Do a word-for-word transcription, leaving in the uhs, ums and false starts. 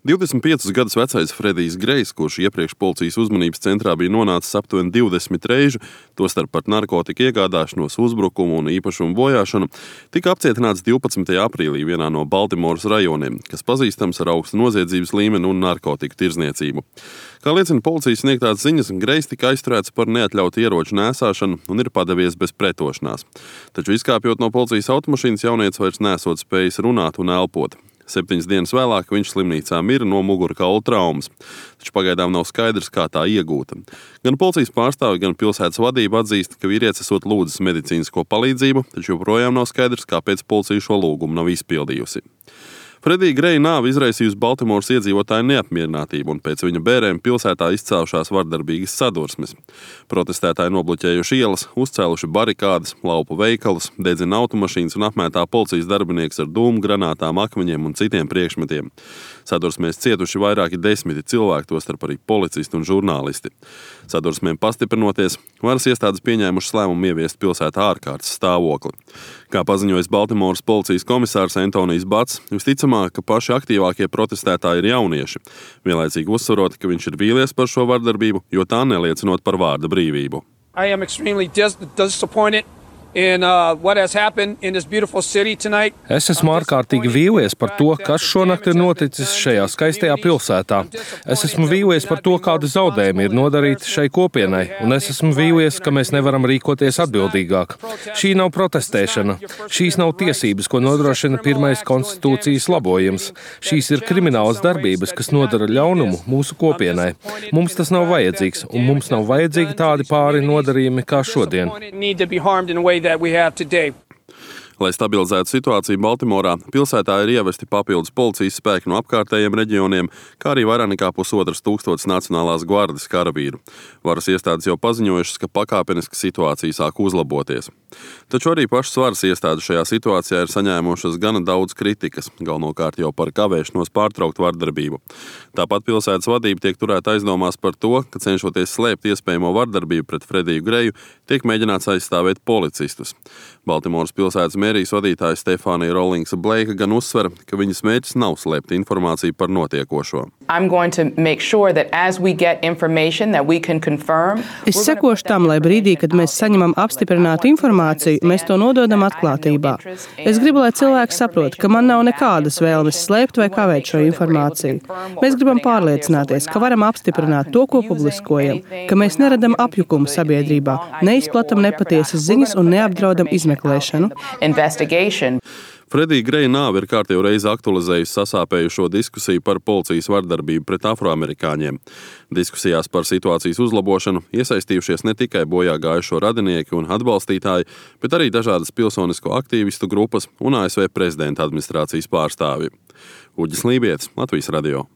divdesmit piecus gadus vecais Fredijs Grejs, kurš iepriekš policijas uzmanības centrā bija nonācis aptuveni divdesmit reižu, tostarp par narkotiku iegādāšanos, uzbrukumu un īpašumu bojāšanu, tika apcietināts divpadsmitajā aprīlī vienā no Baltimoras rajoniem, kas pazīstams ar augstu noziedzības līmeni un narkotiku tirdzniecību. Kā liecina policijas sniegtās ziņas, Grejs tika aizturēts par neatļautu ieroču nēsāšanu un ir padavies bez pretošanās. Taču izkāpjot no policijas automašīnas, jaunietis vairs nesot spējis runāt un elpot. Septiņas dienas vēlāk viņš slimnīcā mira no mugurkaula traumas, taču pagaidām nav skaidrs, kā tā iegūta. Gan policijas pārstāvi, gan pilsētas vadība atzīst, ka vīrietis esot lūdzis medicīnisko palīdzību, taču joprojām nav skaidrs, kāpēc policija šo lūgumu nav izpildījusi. Fredija Greja nāve izraisījusi Baltimoras iedzīvotāju neapmierinātību un pēc viņa bērēm pilsētā izcēlušās vardarbīgas sadursmes. Protestētāji nobloķējuši ielas, uzcēluši barikādes, laupu veikalus, dedzina automašīnas un apmētā policijas darbinieks ar dūmu granātām, akmeņiem un citiem priekšmetiem. Sadursmēs cietuši vairāki desmiti cilvēki, tostarp arī policisti un žurnālisti. Sadursmēm pastiprinoties, varas iestādes pieņēmušas lēmumu ieviest pilsētā ārkārtas stāvokli. Kā paziņojis Baltimoras policijas komisārs Antonijs Bats, visticamāk, ka paši aktīvākie protestētāji ir jaunieši, vienlaicīgi uzsverot, ka viņš ir vīlies par šo vardarbību, jo tā neliecinot par vārda brīvību. I am extremely dis- disappointed in uh, what has happened in this beautiful city tonight. Es esmu ārkārtīgi vīlies par to, kas šonakt ir noticis šajā skaistajā pilsētā. Es esmu vīlies par to, kādi zaudējumi ir nodarīti šai kopienai, un es esmu vīlies, ka mēs nevaram rīkoties atbildīgāk. Šī nav protestēšana. Šīs nav tiesības, ko nodrošina pirmais konstitūcijas labojums. Šīs ir kriminālas darbības, kas nodara ļaunumu mūsu kopienai. Mums tas nav vajadzīgs, un mums nav vajadzīgi tādi pāri nodarījumi kā šodien. That we have today. Lai stabilizētu situāciju Baltimorā, pilsētā ir ievesti papildus policijas spēki no apkārtējiem reģioniem, kā arī vairāk nekā pusotras tūkstotis Nacionālās gvardes karavīru. Varas iestādes jau paziņojušas, ka pakāpeniski situācija sāk uzlaboties. Taču arī pašas varas iestādes šajā situācijā ir saņēmušas gana daudz kritikas, galvenokārt jau par kavēšanos pārtraukt vardarbību. Tāpat pilsētas vadība tiek turēta aizdomās par to, ka cenšoties slēpt iespējamo vardarbību pret Frediju Greju, tiek mēģināts aizstāvēt policistus. Baltimoras pilsētas mērijas vadītāja Stefānija Rollingsa Bleika gan uzsver, ka viņas mērķis nav slēpt informāciju par notiekošo. Es sekošu tam, lai brīdī, kad mēs saņemam apstiprinātu informāciju, mēs to nododam atklātībā. Es gribu, lai cilvēki saprot, ka man nav nekādas vēlmes slēpt vai kavēt šo informāciju. Mēs gribam pārliecināties, ka varam apstiprināt to, ko publiskojam, ka mēs neradam apjukumu sabiedrībā, neizplatam nepatiesas ziņas un neapdraudam izmeklēšanu. Fredija Greja nāve ir kārtējo reizi aktualizējusi sasāpējušo diskusiju par policijas vardarbību pret afroamerikāņiem. Diskusijās par situācijas uzlabošanu iesaistījušies ne tikai bojā gājušo radinieki un atbalstītāji, bet arī dažādas pilsonisko aktīvistu grupas un A S V prezidenta administrācijas pārstāvji. Uģis Lībietis, Latvijas radio.